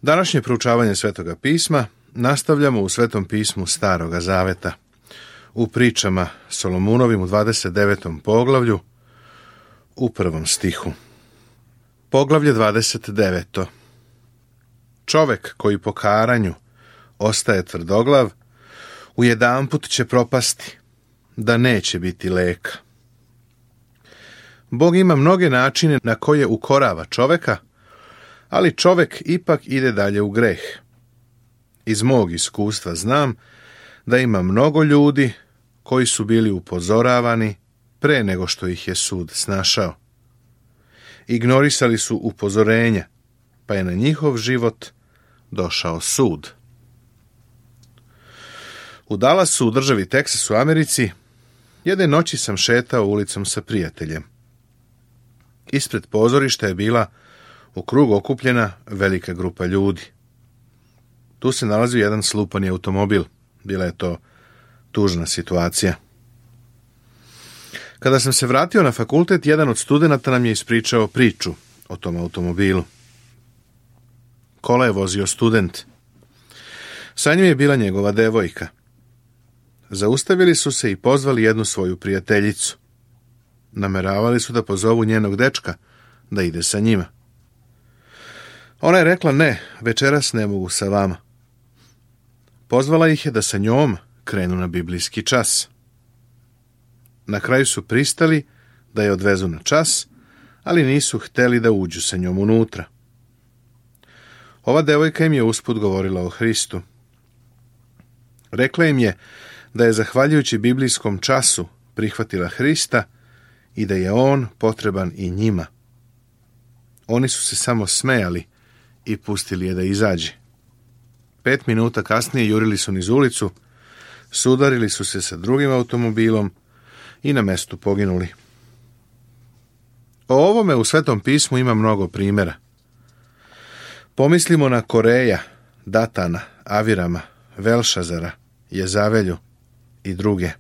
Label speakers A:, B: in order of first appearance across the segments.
A: Današnje proučavanje Svetoga pisma nastavljamo u Svetom pismu Staroga Zaveta, u pričama Solomunovim u 29. poglavlju, u 1. stihu. Poglavlje 29. Čovek koji po karanju ostaje tvrdoglav, ujedanput će propasti, da neće biti leka. Bog ima mnoge načine na koje ukorava čoveka, ali čovek ipak ide dalje u greh. Iz mog iskustva znam da ima mnogo ljudi koji su bili upozoravani pre nego što ih je sud snašao. Ignorisali su upozorenja, pa je na njihov život došao sud. U Dallasu, u državi Teksas u Americi, jedne noći sam šetao ulicom sa prijateljem. Ispred pozorišta je bila u krug okupljena velika grupa ljudi. Tu se nalazio jedan slupani automobil. Bila je to tužna situacija. Kada sam se vratio na fakultet, jedan od studenata nam je ispričao priču o tom automobilu. Kola je vozio student. Sa njim je bila njegova devojka. Zaustavili su se i pozvali jednu svoju prijateljicu. Nameravali su da pozovu njenog dečka da ide sa njima. Ona je rekla: ne, večeras ne mogu sa vama. Pozvala ih je da sa njom krenu na biblijski čas. Na kraju su pristali da je odvezu na čas, ali nisu hteli da uđu sa njom unutra. Ova devojka im je usput govorila o Hristu. Rekla im je da je zahvaljujući biblijskom času prihvatila Hrista i da je on potreban i njima. Oni su se samo smejali i pustili je da izađe. 5 minuta kasnije jurili su niz ulicu, sudarili su se sa drugim automobilom i na mestu poginuli. O ovome u Svetom pismu ima mnogo primjera. Pomislimo na Koreja, Datana, Avirama, Velšazara, Jezavelju i druge.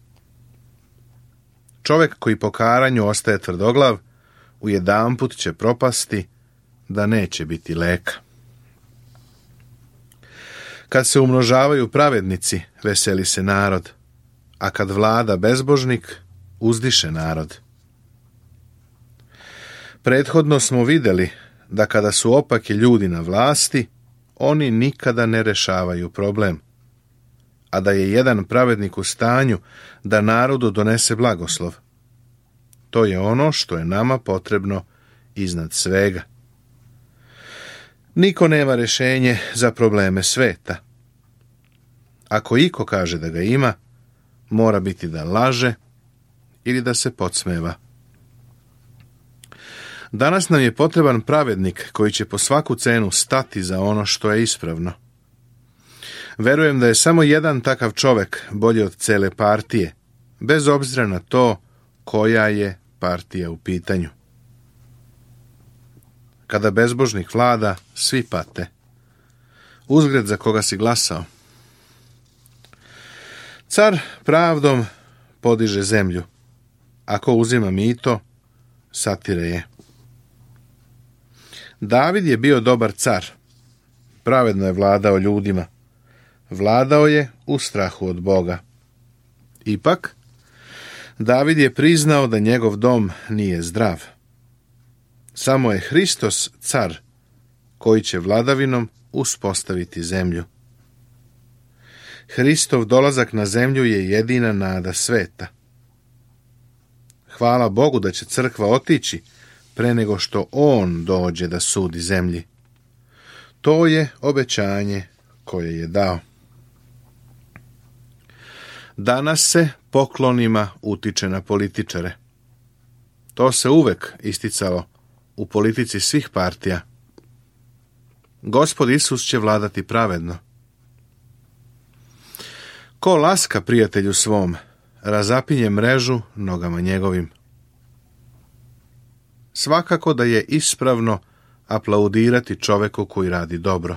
A: Čovek koji po karanju ostaje tvrdoglav, ujedanput će propasti, da neće biti leka. Kad se umnožavaju pravednici, veseli se narod, a kad vlada bezbožnik, uzdiše narod. Prethodno smo vidjeli da kada su opaki ljudi na vlasti, oni nikada ne rešavaju problem, a da je jedan pravednik u stanju da narodu donese blagoslov. To je ono što je nama potrebno iznad svega. Niko nema rješenje za probleme sveta. Ako iko kaže da ga ima, mora biti da laže ili da se podsmeva. Danas nam je potreban pravednik koji će po svaku cenu stati za ono što je ispravno. Verujem da je samo jedan takav čovek bolji od cele partije, bez obzira na to koja je partija u pitanju. Kada bezbožnik vlada, svi pate. Uzgred za koga si glasao. Car pravdom podiže zemlju. Ako uzima mito, satire je. David je bio dobar car. Pravedno je vladao ljudima. Vladao je u strahu od Boga. Ipak, David je priznao da njegov dom nije zdrav. Samo je Hristos car koji će vladavinom uspostaviti zemlju. Hristov dolazak na zemlju je jedina nada sveta. Hvala Bogu da će crkva otići pre nego što on dođe da sudi zemlji. To je obećanje koje je dao. Danas se poklonima utiče na političare. To se uvek isticalo u politici svih partija. Gospod Isus će vladati pravedno. Ko laska prijatelju svom, razapinje mrežu nogama njegovim. Svakako da je ispravno aplaudirati čoveku koji radi dobro.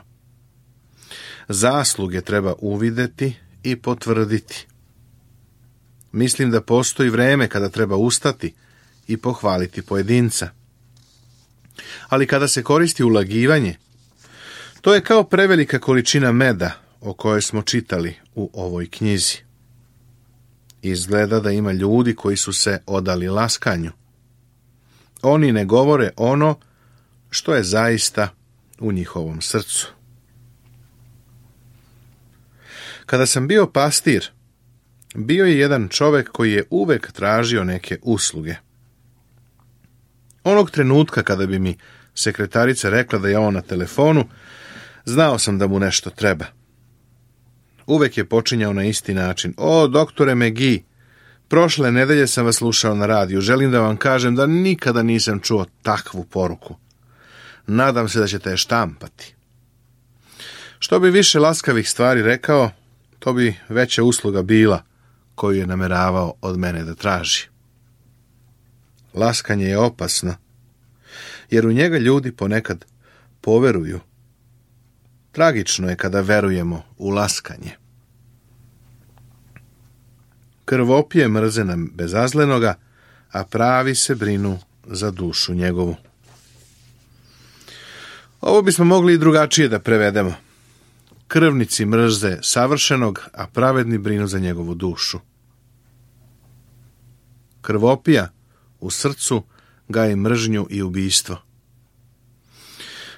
A: Zasluge treba uvideti i potvrditi. Mislim da postoji vreme kada treba ustati i pohvaliti pojedinca. Ali kada se koristi ulagivanje, To je kao prevelika količina meda o kojoj smo čitali u ovoj knjizi. Izgleda da ima ljudi koji su se odali laskanju. Oni ne govore ono što je zaista u njihovom srcu. Kada sam bio pastir, bio je jedan čovjek koji je uvek tražio neke usluge. Onog trenutka kada bi mi sekretarica rekla da je on na telefonu, znao sam da mu nešto treba. Uvek je počinjao na isti način. O, doktore McGee, prošle nedelje sam vas slušao na radiju. Želim da vam kažem da nikada nisam čuo takvu poruku. Nadam se da ćete je štampati. Što bi više laskavih stvari rekao, to bi veća usluga bila koju je nameravao od mene da traži. Laskanje je opasno, jer u njega ljudi ponekad poveruju. Tragično je kada verujemo u laskanje. Krvopije mrze nam bezazlenoga, a pravi se brinu za dušu njegovu. Ovo bismo mogli i drugačije da prevedemo. Krvnici mrze savršenog, a pravedni brinu za njegovu dušu. Krvopija u srcu gaji mržnju i ubijstvo.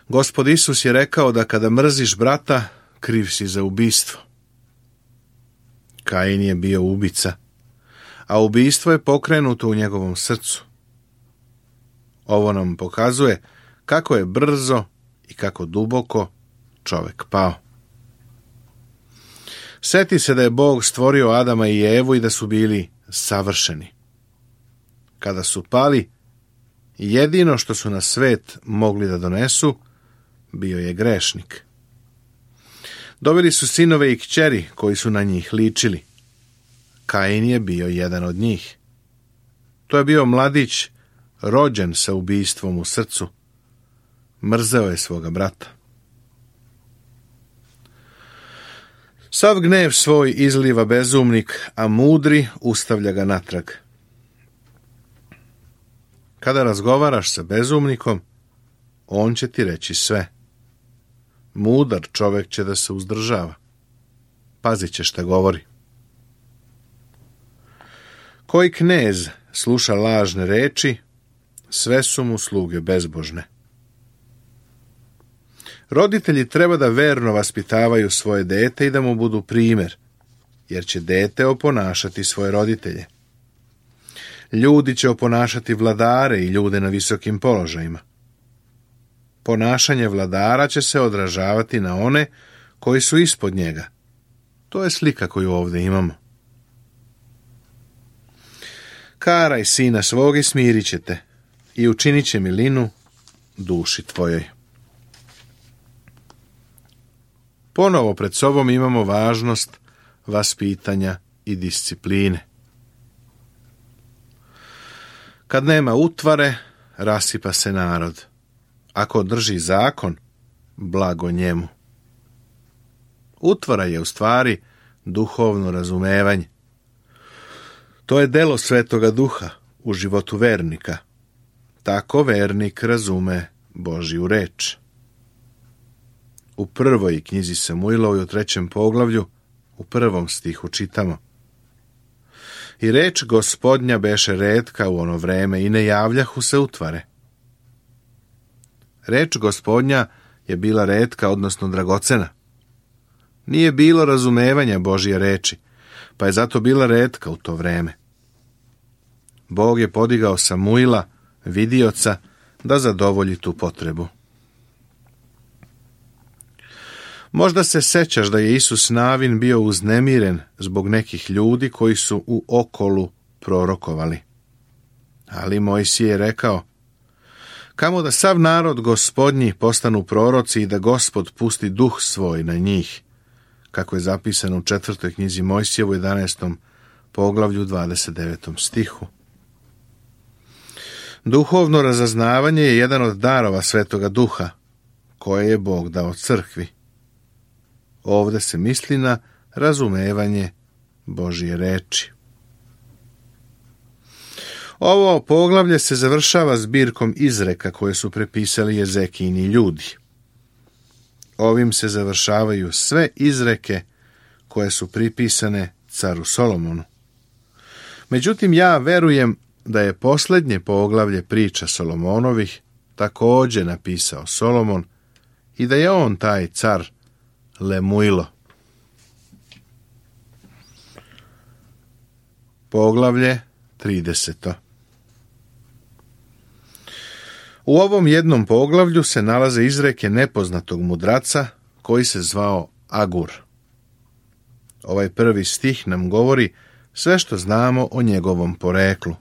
A: Gospod Isus je rekao da kada mrziš brata, kriv si za ubijstvo. Kain je bio ubica, a ubijstvo je pokrenuto u njegovom srcu. Ovo nam pokazuje kako je brzo i kako duboko čovjek pao. Seti se da je Bog stvorio Adama i Evu i da su bili savršeni. Kada su pali, jedino što su na svet mogli da donesu bio je grešnik. Dobili su sinove i kćeri koji su na njih ličili. Kain je bio jedan od njih. To je bio mladić rođen sa ubijstvom u srcu. Mrzeo je svoga brata. Sav gnev svoj izliva bezumnik, a mudri ustavlja ga natrag. Kada razgovaraš sa bezumnikom, on će ti reći sve. Mudar čovjek će da se uzdržava. Pazit će šta govori. Koji knez sluša lažne reči, sve su mu sluge bezbožne. Roditelji treba da verno vaspitavaju svoje dete i da mu budu primer, jer će dete oponašati svoje roditelje. Ljudi će oponašati vladare i ljude na visokim položajima. Ponašanje vladara će se odražavati na one koji su ispod njega. To je slika koju ovdje imamo. Karaj sina svog i smirit će te i učinit će milinu duši tvojoj. Ponovo pred sobom imamo važnost vaspitanja i discipline. Kad nema utvare, rasipa se narod. Ako drži zakon, blago njemu. Utvara je u stvari duhovno razumevanje. To je delo Svetoga Duha u životu vernika. Tako vernik razume Božju reč. U prvoj knjizi Samuilovoj u 3. poglavlju, u 1. stihu čitamo: I reč Gospodnja beše retka u ono vreme i ne javljahu se utvare. Reč Gospodnja je bila retka, odnosno dragocena. Nije bilo razumevanja Božje reči, pa je zato bila retka u to vreme. Bog je podigao Samuila, vidioca, da zadovolji tu potrebu. Možda se sećaš da je Isus Navin bio uznemiren zbog nekih ljudi koji su u okolu prorokovali. Ali Mojsije je rekao: Kamo da sav narod Gospodnji postanu proroci i da Gospod pusti duh svoj na njih, kako je zapisano u 4. knjizi Mojsijevu 11. poglavlju 29. stihu. Duhovno razaznavanje je jedan od darova Svetoga Duha, koje je Bog dao crkvi. Ovdje se misli na razumevanje Božje reči. Ovo poglavlje se završava zbirkom izreka koje su prepisali Jezekijini ljudi. Ovim se završavaju sve izreke koje su pripisane caru Solomonu. Međutim, ja verujem da je posljednje poglavlje priča Solomonovih također napisao Solomon i da je on taj car Lemuilo. Poglavlje 30. U ovom jednom poglavlju se nalaze izreke nepoznatog mudraca koji se zvao Agur. Ovaj prvi stih nam govori sve što znamo o njegovom poreklu.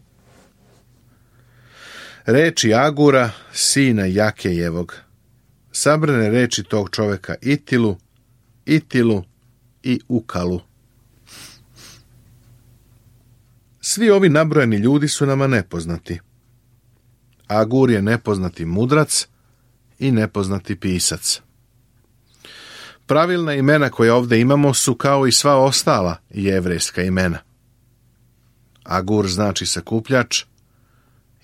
A: Reči Agura, sina Jakejevog, sabrane reči tog čoveka Itilu, Itilu i Ukalu. Svi ovi nabrojeni ljudi su nama nepoznati. Agur je nepoznati mudrac i nepoznati pisac. Pravilna imena koja ovdje imamo su kao i sva ostala jevrejska imena. Agur znači sakupljač,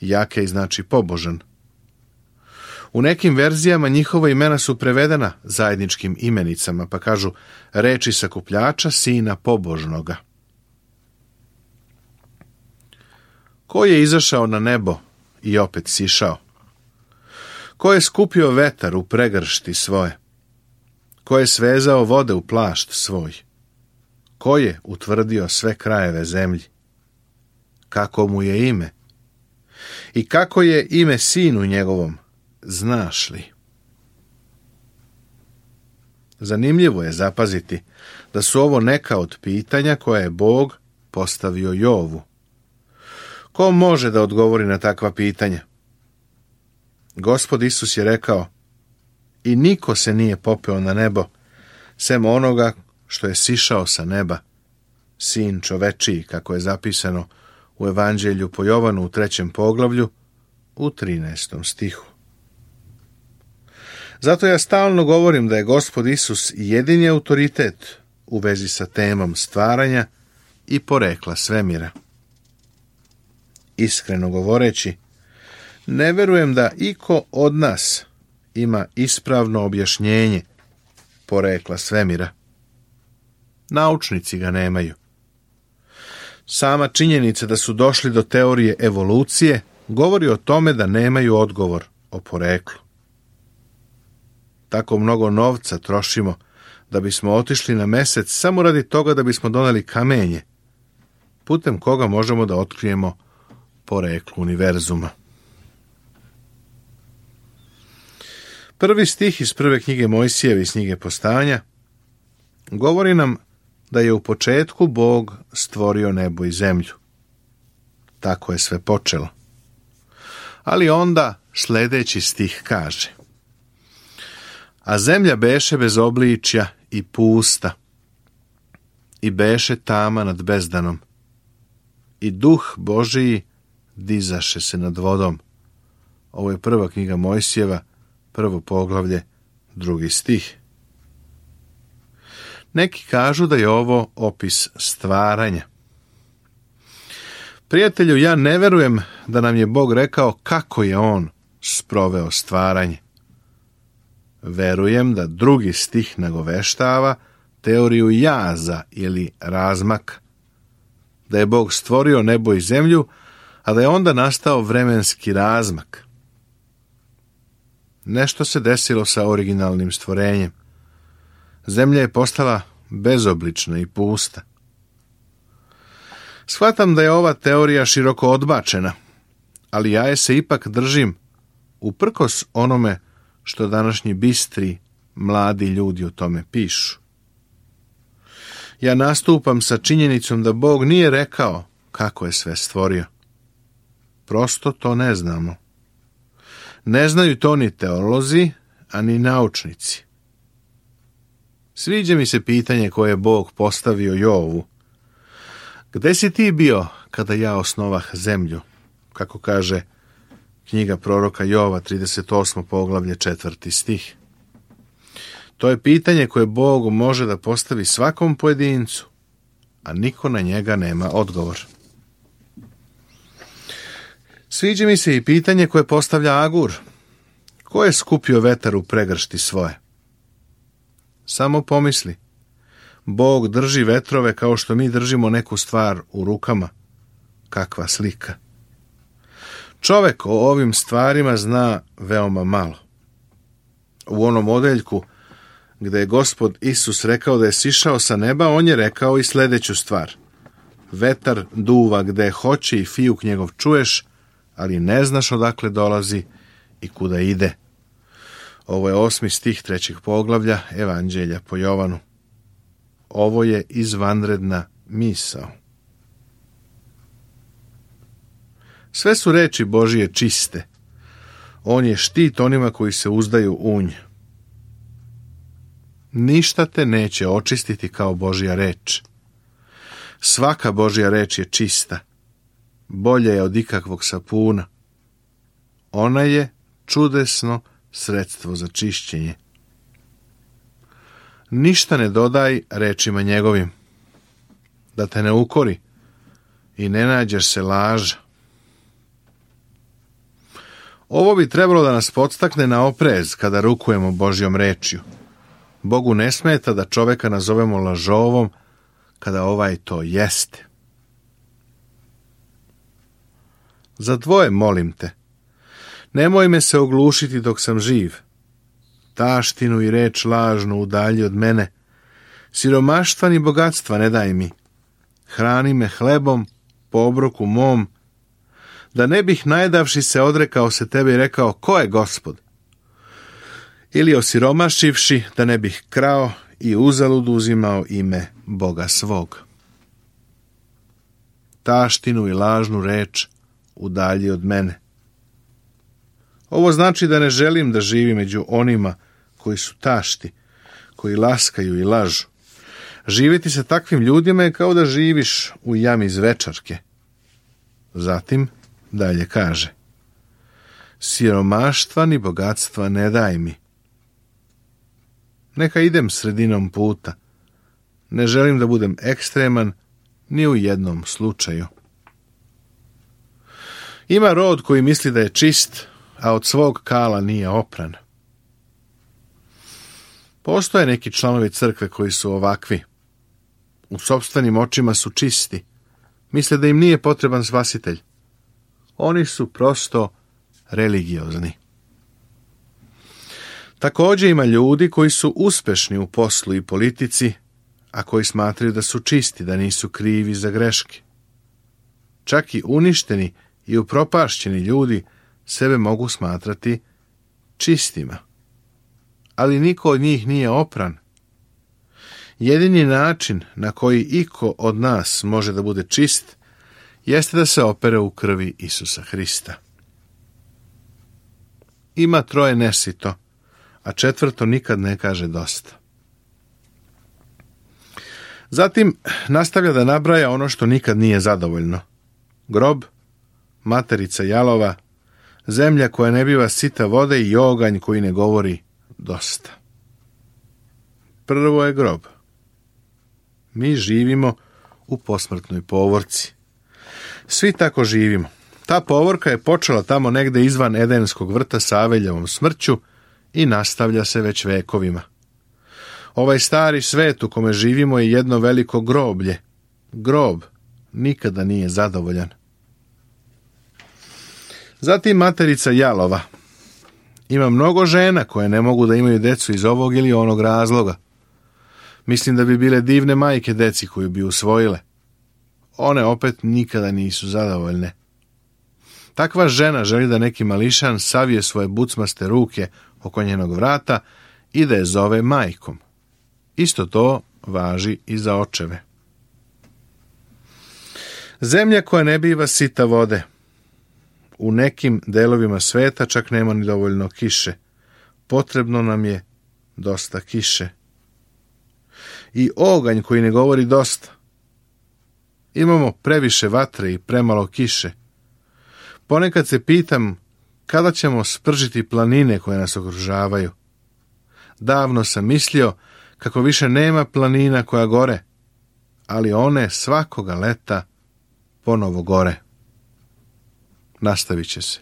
A: Jakej znači pobožan. U nekim verzijama njihova imena su prevedena zajedničkim imenicama, pa kažu reči sakupljača, sina pobožnoga. Ko je izašao na nebo i opet sišao? Ko je skupio vetar u pregršti svoje? Ko je svezao vode u plašt svoj? Ko je utvrdio sve krajeve zemlji? Kako mu je ime? I kako je ime sinu njegovom? Znaš li? Zanimljivo je zapaziti da su ovo neka od pitanja koje je Bog postavio Jovu. Ko može da odgovori na takva pitanja? Gospod Isus je rekao: i niko se nije popeo na nebo, sem onoga što je sišao sa neba, sin čovečiji, kako je zapisano u Evanđelju po Jovanu u 3. poglavlju u 13. stihu. Zato ja stalno govorim da je Gospod Isus jedini autoritet u vezi sa temom stvaranja i porekla svemira. Iskreno govoreći, ne verujem da iko od nas ima ispravno objašnjenje porekla svemira. Naučnici ga nemaju. Sama činjenica da su došli do teorije evolucije govori o tome da nemaju odgovor o poreklu. Tako mnogo novca trošimo da bismo otišli na mesec samo radi toga da bismo doneli kamenje, putem koga možemo da otkrijemo poreklo univerzuma. Prvi stih iz prve knjige Mojsijeve iz knjige Postanja govori nam da je u početku Bog stvorio nebo i zemlju. Tako je sve počelo. Ali onda sljedeći stih kaže: a zemlja beše bez obličja i pusta, i beše tama nad bezdanom, i duh Božiji dizaše se nad vodom. Ovo je prva knjiga Mojsijeva, 1. poglavlje, 2. stih. Neki kažu da je ovo opis stvaranja. Prijatelju, ja ne verujem da nam je Bog rekao kako je on sproveo stvaranje. Verujem da 2. stih nagoveštava teoriju jaza ili razmaka. Da je Bog stvorio nebo i zemlju, a da je onda nastao vremenski razmak. Nešto se desilo sa originalnim stvorenjem. Zemlja je postala bezoblična i pusta. Shvatam da je ova teorija široko odbačena, ali ja je se ipak držim uprkos onome što današnji bistri, mladi ljudi o tome pišu. Ja nastupam sa činjenicom da Bog nije rekao kako je sve stvorio. Prosto to ne znamo. Ne znaju to ni teolozi, a ni naučnici. Sviđa mi se pitanje koje je Bog postavio Jovu. Gde si ti bio kada ja osnovah zemlju? Kako kaže knjiga proroka Jova, 38. poglavlje, 4. stih. To je pitanje koje Bog može da postavi svakom pojedincu, a niko na njega nema odgovor. Sviđa mi se i pitanje koje postavlja Agur. Ko je skupio vetar u pregršti svoje? Samo pomisli. Bog drži vetrove kao što mi držimo neku stvar u rukama. Kakva slika. Čovek o ovim stvarima zna veoma malo. U onom odeljku gde je Gospod Isus rekao da je sišao sa neba, on je rekao i sljedeću stvar. Vetar duva gde hoće i fijuk njegov čuješ, ali ne znaš odakle dolazi i kuda ide. Ovo je 8. stih 3. poglavlja Evanđelja po Jovanu. Ovo je izvanredna misao. Sve su reči Božije čiste. On je štit onima koji se uzdaju u nj. Ništa te neće očistiti kao Božja reč. Svaka Božja reč je čista. Bolje je od ikakvog sapuna. Ona je čudesno sredstvo za čišćenje. Ništa ne dodaj rečima njegovim, da te ne ukori i ne nađeš se laža. Ovo bi trebalo da nas podstakne na oprez kada rukujemo Božjom rečju. Bogu ne smeta da čoveka nazovemo lažovom kada ovaj to jeste. Za dvoje molim te. Nemoj me se oglušiti dok sam živ. Taštinu i reč lažnu udalji od mene. Siromaštva ni bogatstva ne daj mi. Hrani me hlebom po obroku mom, da ne bih najedavši se odrekao se tebe i rekao, ko je Gospod? Ili osiromašivši, da ne bih krao i uzalud uzimao ime Boga svog. Taštinu i lažnu reč udalji od mene. Ovo znači da ne želim da živim među onima koji su tašti, koji laskaju i lažu. Živjeti sa takvim ljudima je kao da živiš u jami zvečarke. Zatim dalje kaže: siromaštva ni bogatstva ne daj mi. Neka idem sredinom puta. Ne želim da budem ekstreman ni u jednom slučaju. Ima rod koji misli da je čist, a od svog kala nije opran. Postoje neki članovi crkve koji su ovakvi. U sopstvenim očima su čisti. Misle da im nije potreban spasitelj. Oni su prosto religiozni. Također ima ljudi koji su uspešni u poslu i politici, a koji smatraju da su čisti, da nisu krivi za greške. Čak i uništeni i upropašćeni ljudi sebe mogu smatrati čistima. Ali niko od njih nije opran. Jedini način na koji iko od nas može da bude čist jeste da se opere u krvi Isusa Hrista. Ima troje nesito, a četvrto nikad ne kaže dosta. Zatim nastavlja da nabraja ono što nikad nije zadovoljno. Grob, materica jalova, zemlja koja ne biva sita vode i oganj koji ne govori dosta. Prvo je grob. Mi živimo u posmrtnoj povorci. Svi tako živimo. Ta povorka je počela tamo negde izvan Edenskog vrta sa Aveljevom smrću i nastavlja se već vekovima. Ovaj stari svet u kome živimo je jedno veliko groblje. Grob nikada nije zadovoljan. Zatim materica jalova. Ima mnogo žena koje ne mogu da imaju decu iz ovog ili onog razloga. Mislim da bi bile divne majke deci koju bi usvojile. One opet nikada nisu zadovoljne. Takva žena želi da neki mališan savije svoje bucmaste ruke oko njenog vrata i da je zove majkom. Isto to važi i za očeve. Zemlja koja ne biva sita vode. U nekim delovima sveta čak nema ni dovoljno kiše. Potrebno nam je dosta kiše. I oganj koji ne govori dosta. Imamo previše vatre i premalo kiše. Ponekad se pitam kada ćemo spržiti planine koje nas okružavaju. Davno sam mislio kako više nema planina koja gore, ali one svakoga leta ponovo gore. Nastavit će se.